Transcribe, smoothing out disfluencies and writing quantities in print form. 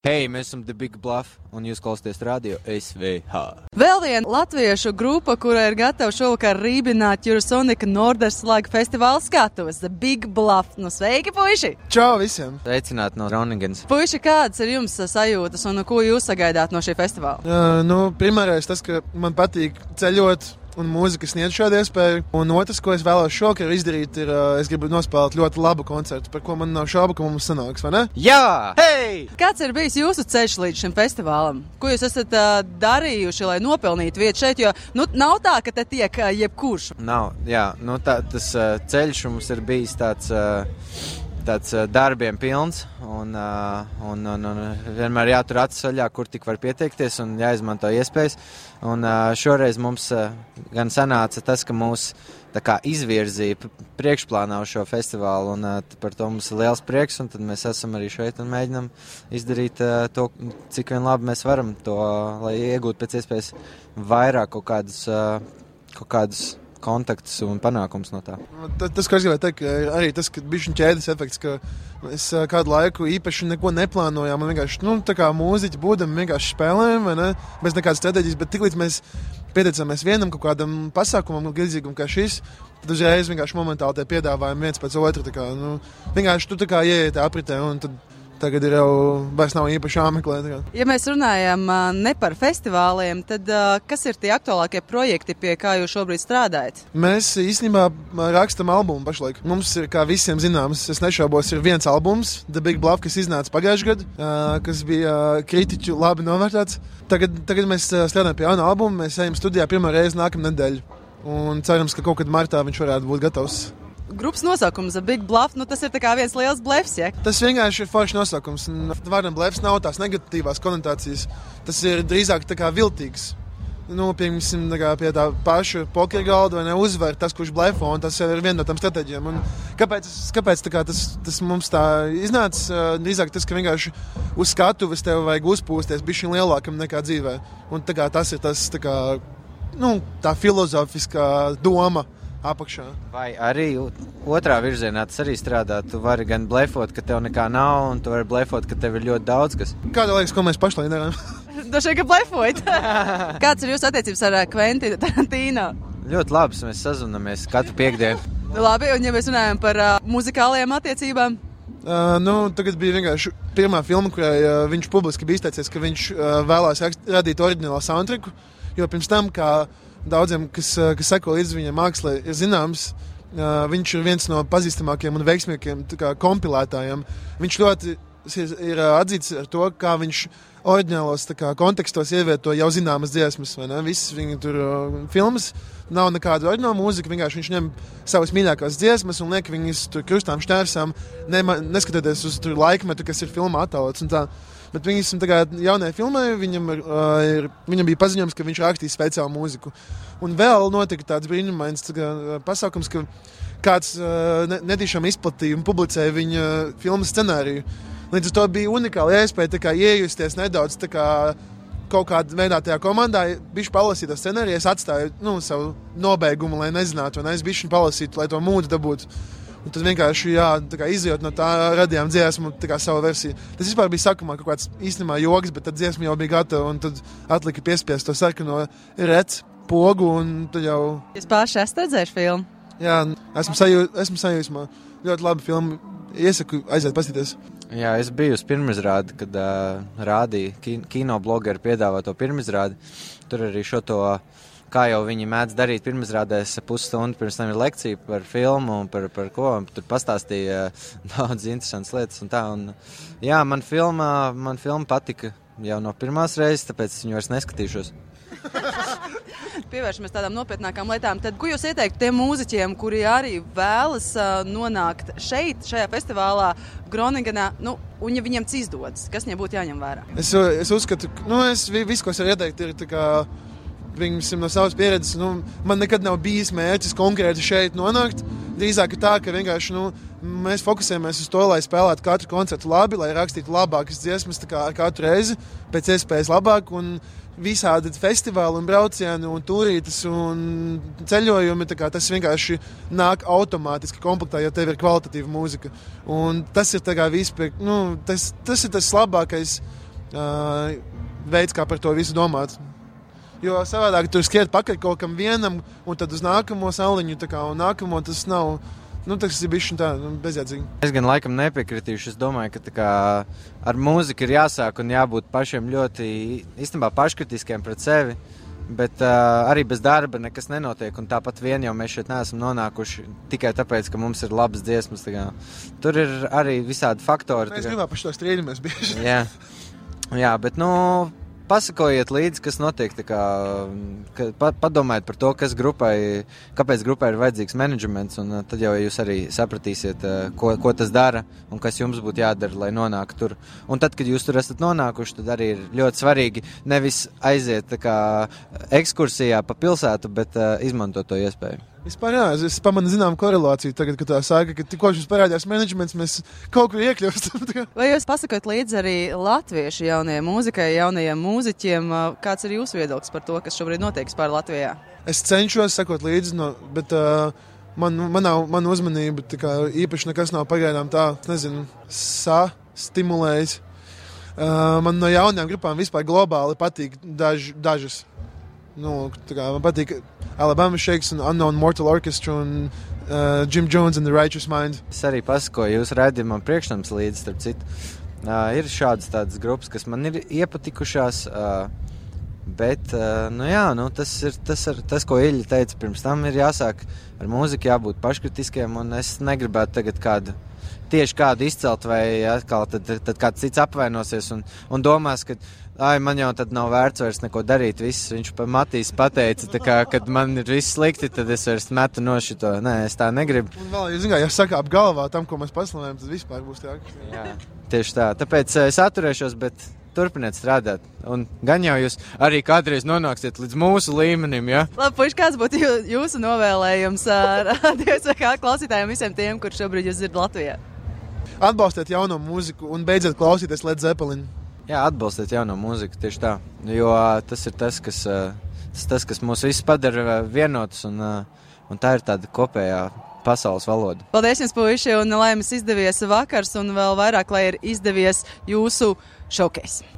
Hei, mēs esam The Big Bluff, un jūs klausāties radio SVH. Vēl viena latviešu grupa, kura ir gatava šovakar rībināt Eurosonika Norderslaga festivāla skatuves, The Big Bluff. Nu, sveiki, puiši! Čau visiem! Sveicināti no Groningens. Puiši, kādas ir jums sajūtas un ko jūs sagaidāt no šī festivāla? Primārais tas, ka man patīk ceļot. Un mūzika sniedz šādu iespēju. Un otrs, ko es vēlos šovakar izdarīt, ir, es gribu nospēlēt ļoti labu koncertu, par ko man nav šaubu, ka mums sanāks, vai ne? Jā! Hei! Kāds ir bijis jūsu ceļš līdz šim festivālam? Ko jūs esat darījuši, lai nopelnītu vietu šeit? Jo nav tā, ka te tiek jebkurš. Nav, jā. Tas ceļš mums ir bijis tāds darbiem pilns un vienmēr jātur acis vaļā, kur tik var pieteikties un jāizmanto iespējas. Un šoreiz mums gan sanāca tas, ka mūs izvirzīja priekšplānā uz šo festivālu, un par to mums ir liels prieks, un tad mēs esam arī šeit un mēģinam izdarīt to, cik vien labi mēs varam to, lai iegūtu pēc iespējas vairāk kaut kādus kontaktus un panākums no tā. Tas, ko es gribēju teikt, arī tas, ka bišķiņ ķēdes efekts, ka mēs kādu laiku īpaši neko neplānojām, un vienkārši, tā kā mūziķi būdam, vienkārši spēlējam, vai ne, bez nekādas strateģijas, bet tiklīdz mēs pieteicāmies vienam kaut kādam pasākumam, līdzīgam kā šis, tad uzreiz vienkārši momentāli tie piedāvājumi viens pēc otru, vienkārši tu ieej tā apritē, un tad tagad ir jau vairs nav īpaši jāmeklē. Ja mēs runājam ne par festivāliem, tad kas ir tie aktuālākie projekti, pie kā jūs šobrīd strādājat? Mēs īstenībā rakstam albumu pašlaik. Mums ir, kā visiem zināms, es nešaubos, ir viens albums, The Big Bluff, kas iznāca pagājušajā gadā, kas bija kritiķu labi novērtēts. Tagad mēs strādājam pie jauna albuma, mēs ejam studijā pirmā reize nākamā nedēļa. Un cerams, ka kaut kad martā viņš varētu būt gatavs. Grupas nosaukums The Big Bluff, tas ir viens liels blefs, ja? Tas vienkārši ir foršs nosaukums. Vārdam blefs nav tās negatīvās konotācijas. Tas ir drīzāk viltīgs. Piemēram, pie tā paša poker galda vai neuzvar tas, kurš blefo, un tas ir viena no tām stratēģijām. Kāpēc tas mums tā iznāca? Drīzāk tas, ka vienkārši uz skatuves tev vajag uzpūsties bišķiņ lielākam nekā dzīvē. Un tas ir tas, tā filozofiskā doma apakšā. Vai arī otrā virzienā tas arī strādā? Tu vari gan blefot, ka tev nekā nav, un tu vari blefot, ka tev ir ļoti daudz kas. Kāda liekas, ko mēs pašlaik darām? Dažai, ka blefojat. Kāds ir jūsu attiecības ar Kventinu Tarantino? Ļoti labs, mēs sazvanamies katru piektdienu. Labi, un ja mēs runājam par muzikālajām attiecībām? Tagad bija vienkārši pirmā filma, kurai viņš publiski bija izteicies, ka viņš vēlās radīt oriģinālu soundtracku, jo pirms tam, kā daudziem, kas seko līdz viņa mākslē, ir zināms, viņš ir viens no pazīstamākajiem un veiksmīgākajiem kompilētājiem. Viņš ļoti ir atzīts ar to, kā viņš oriģinālos kontekstos ievieto jau zināmas dziesmas, vai ne? Visas viņa tur filmas nav nekāda oriģināla mūzika, vienkārši viņš ņem savas mīļākās dziesmas un liek viņas tur krustām šķērsām, neskatoties uz tur laikmetu, kas ir filmā attēlots un tā. Bet viņam tagad jaunajā filmā viņam bija paziņojums, ka viņš rakstīs speciālu mūziku. Un vēl notika tāds brīnumains pasākums, ka kāds netīšām izplatīja un publicēja viņa filmas scenāriju. Līdz ar to bija unikāla iespēja iejusties nedaudz kaut kādā veidā tajā komandā. Bišķi palasīt to scenāriju, es atstāju savu nobeigumu, lai nezinātu, un es bišķi palasītu, lai to mūdu dabūtu. Un tad vienkārši izjūt no tā radījām dziesmu savu versiju. Tas vispār bija sākumā kaut kāds īstenībā joks, bet tad dziesma jau bija gatava un tad atlika piespiest to sarkano rec pogu un tad jau... Jūs paši esat redzējuši filmu? Jā, esmu sajūsmā. Ļoti laba filma. Iesaku aiziet paskatīties. Jā, es biju uz pirmizrādi, kad rādīja kinoblogeri piedāvā to pirmizrādi. Tur arī šo to... Kā jau viņi mēdz darīt pirmizrādēs, pusstundu pirms tam ir lekcija par filmu un par ko. Tur pastāstīja daudz interesantas lietas un tā. Un, jā, man filma patika jau no pirmās reizes, tāpēc es viņu vairs neskatīšos. Pievēršamies tādām nopietnākām lietām. Tad, ko jūs ieteiktu tiem mūziķiem, kuri arī vēlas nonākt šeit, šajā festivālā Groningenā, un ja viņiem izdodas, kas viņiem būtu jāņem vērā? Es uzskatu, viss, ko es varu ieteikt, ir no savas pieredzes, man nekad nav bijis mērķis konkrēti šeit nonākt. Drīzāk ir tā, ka vienkārši mēs fokusējamies uz to, lai spēlētu katru koncertu labi, lai rakstītu labākas dziesmas katru reizi, pēc iespējas labāk, un visādi festivāli un braucieni un turītes un ceļojumi, tas vienkārši nāk automātiski komplektā, ja tev ir kvalitatīva mūzika. Un tas ir vispār, tas ir tas labākais veids, kā par to visu domāt. Jo savādāk tur skriet pakaļ kaut kam vienam, un tad uz nākamo saliņu, un nākamo tas nav. Tas ir bišķi tā, bezjēdzīgi. Es gan laikam nepiekritīšu. Es domāju, ka ar mūziku ir jāsāk un jābūt pašiem ļoti īstenībā paškritiskiem pret sevi. Bet arī bez darba nekas nenotiek. Un tāpat vien jau mēs šeit neesam nonākuši tikai tāpēc, ka mums ir labas dziesmas. Tur ir arī visādi faktori. Mēs gribam par šo strīdamies bieži. Jā, bet pasakojiet līdzi, kas notiek. Padomājiet par to, kāpēc grupai ir vajadzīgs menedžments, un tad jau jūs arī sapratīsiet, ko tas dara un kas jums būtu jādara, lai nonāktu tur. Un tad, kad jūs tur esat nonākuši, tad arī ir ļoti svarīgi nevis aiziet ekskursijā pa pilsētu, bet izmantot to iespēju. Vispār jā, es pamanu zinām korelāciju tagad, kad tā sāka, ka tikko šis parādījās menedžments, mēs kaut kur iekļūstam. Vai jūs pasakot līdzi arī latviešu jaunajai mūzikai, jaunajiem mūziķiem? Kāds ir jūsu viedoklis par to, kas šobrīd notiek vispār Latvijā? Es cenšos sekot līdzi, bet man uzmanība īpaši nekas nav pagaidām tā, stimulējis. Man no jaunajām grupām vispār globāli patīk dažas. Man patīk Alabama Shakes un Unknown Mortal Orchestra un Jim Jones and the Righteous Mind. Es arī pasakoju jūsu raidījumam priekšnams līdzi, starp citu. Ir šādas tādas grupas, kas man ir iepatikušās, bet, tas ir tas, ko Iļļa teica pirms tam, ir jāsāk ar mūziku, jābūt paškritiskiem, un es negribētu tagad kādu izcelt, vai atkal tad kāds cits apvainosies un domās, ka man jau tad nav vērts vairs neko darīt. Viņš Matīs pateica, kad man ir viss slikti, tad es vairs metu no šito. Nē, es tā negribu. Un vēl, ja sakāp galvā tam, ko mēs paslavējam, tad vispār būs tā. Jā, tieši tā. Tāpēc es atturēšos, bet turpiniet strādāt. Un gan jau jūs arī kādreiz nonāksiet līdz mūsu līmenim, ja? Labi, puiši, kāds būtu jūsu novēlējums DSVK klausītājiem visiem tiem, kur šobrīd jūs dzirdat Latvijā? Atbalstiet jauno mūziku un beidziet klausīties Led Zeppelin. Jā, atbalstiet jauno mūziku, tieši tā. Jo tas ir tas, kas mūs visus padara vienotus, un tā ir tāda kopējā pasaules valoda. Paldies jums, puiši, un lai jums izdevies vakars, un vēl vairāk, lai ir izdevies jūsu showcase.